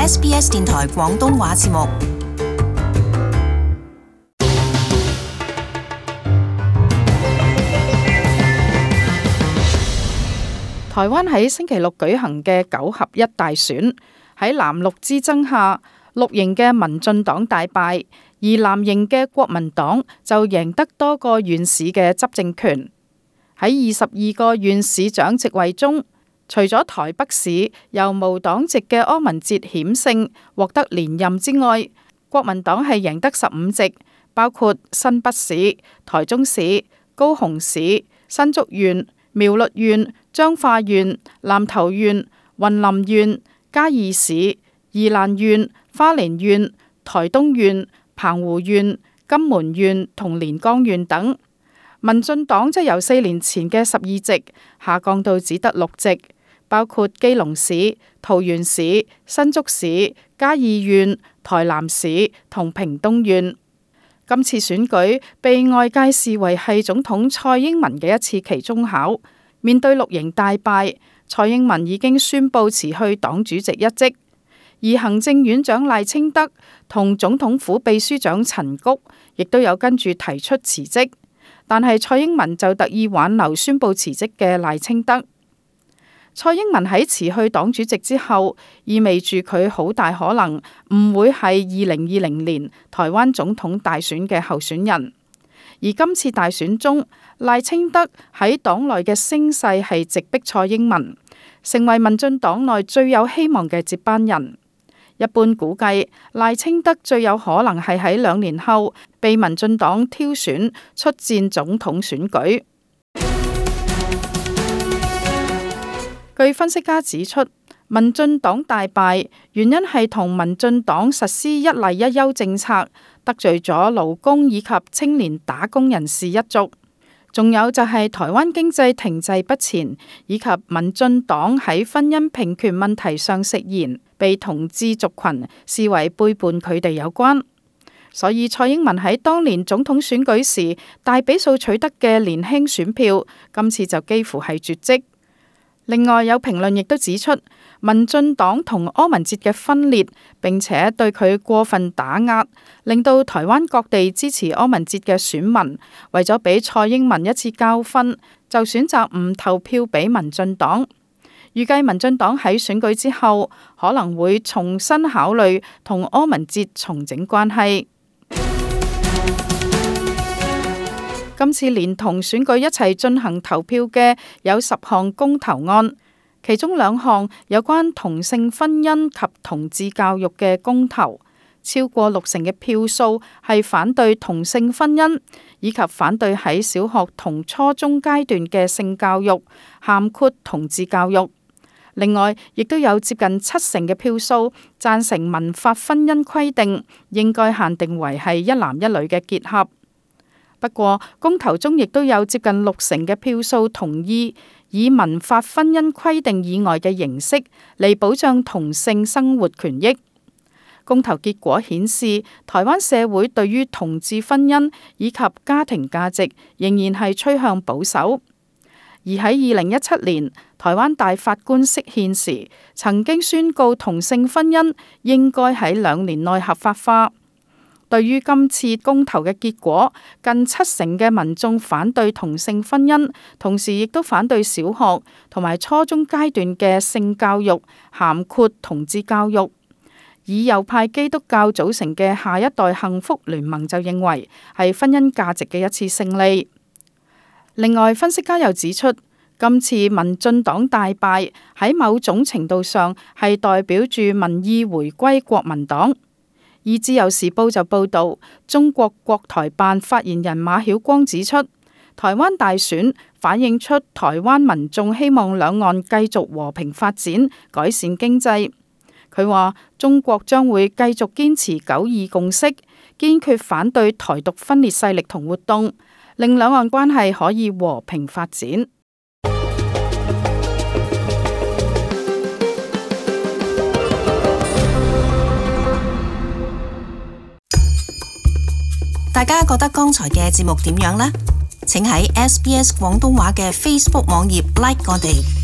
SBS 電台廣東話節目。台灣喺星期六舉行嘅9合1大選，喺藍綠之爭下，綠營嘅民進黨大敗，而藍營嘅國民黨就贏得多個縣市嘅執政權。喺22個縣市長席位中，除咗台北市由無黨籍嘅柯文哲險勝獲得連任之外，國民黨係贏得15席，包括新北市、台中市、高雄市、新竹縣、苗栗縣、彰化縣、南投縣、雲林縣、嘉義市、宜蘭縣、花蓮縣、台東縣、澎湖縣、金門縣同連江縣等。民進黨則由4年前嘅12席下降到只得6席，包括基隆市、桃園市、新竹市、嘉義縣、台南市同屏東縣。今次選舉被外界視為係總統蔡英文嘅一次期中考。面對綠營大敗，蔡英文已經宣布辭去黨主席一職，而行政院長賴清德同總統府秘書長陳菊亦都有跟住提出辭職，但係蔡英文就特意挽留宣布辭職嘅賴清德。蔡英文喺辭去黨主席之後，意味住佢好大可能唔會係2020年台灣總統大選嘅候選人。而今次大選中，賴清德喺黨內嘅聲勢係直逼蔡英文，成為民進黨內最有希望嘅接班人。一般估計，賴清德最有可能係喺2年後被民進黨挑選出戰總統選舉。據分析家指出，民進黨大敗原因係同民進黨實施一例一休政策，得罪咗勞工以及青年打工人士一族，仲有就係台灣經濟停滯不前，以及民進黨喺婚姻平權問題上食言，被同志族群視為背叛佢哋有關。所以蔡英文喺當年總統選舉時大比數取得嘅年輕選票，今次就幾乎係絕跡。另外有評論亦都指出，民進黨同柯文哲嘅分裂，並且對佢過分打壓，令到台灣各地支持柯文哲嘅選民為咗俾蔡英文一次教訓，就選擇唔投票俾民進黨。預計民進黨喺選舉之後可能會重新考慮同柯文哲重整關係。今次連同選舉一齊進行投票嘅有10項公投案，其中2項有關同性婚姻及同志教育嘅公投，超過60%嘅票數係反對同性婚姻，以及反對喺小學同初中階段嘅性教育，涵括同志教育。另外，亦都有接近70%嘅票數贊成民法婚姻規定應該限定為係一男一女嘅結合。不過，公投中亦都有接近60%嘅票數同意以民法婚姻規定以外嘅形式嚟保障同性生活權益。公投結果顯示，台灣社會對於同志婚姻以及家庭價值仍然係趨向保守。而喺2017年，台灣大法官釋憲時，曾經宣告同性婚姻應該喺2年內合法化。對於今次公投嘅結果，近70%嘅民眾反對同性婚姻，同時亦都反對小學同埋初中階段嘅性教育，涵括同志教育。以右派基督教組成嘅下一代幸福聯盟就認為係婚姻價值嘅一次勝利。另外，分析家又指出，今次民進黨大敗喺某種程度上係代表住民意回歸國民黨。而自由時報就報導，中國國台辦發言人馬曉光指出，台灣大選反映出台灣民眾希望兩岸繼續和平發展，改善經濟。佢話中國將會繼續堅持9·2共識，堅決反對台獨分裂勢力同活動，令兩岸關係可以和平發展。大家覺得剛才嘅節目點樣呢？請喺SBS 廣東話嘅 Facebook 網頁 like 我哋。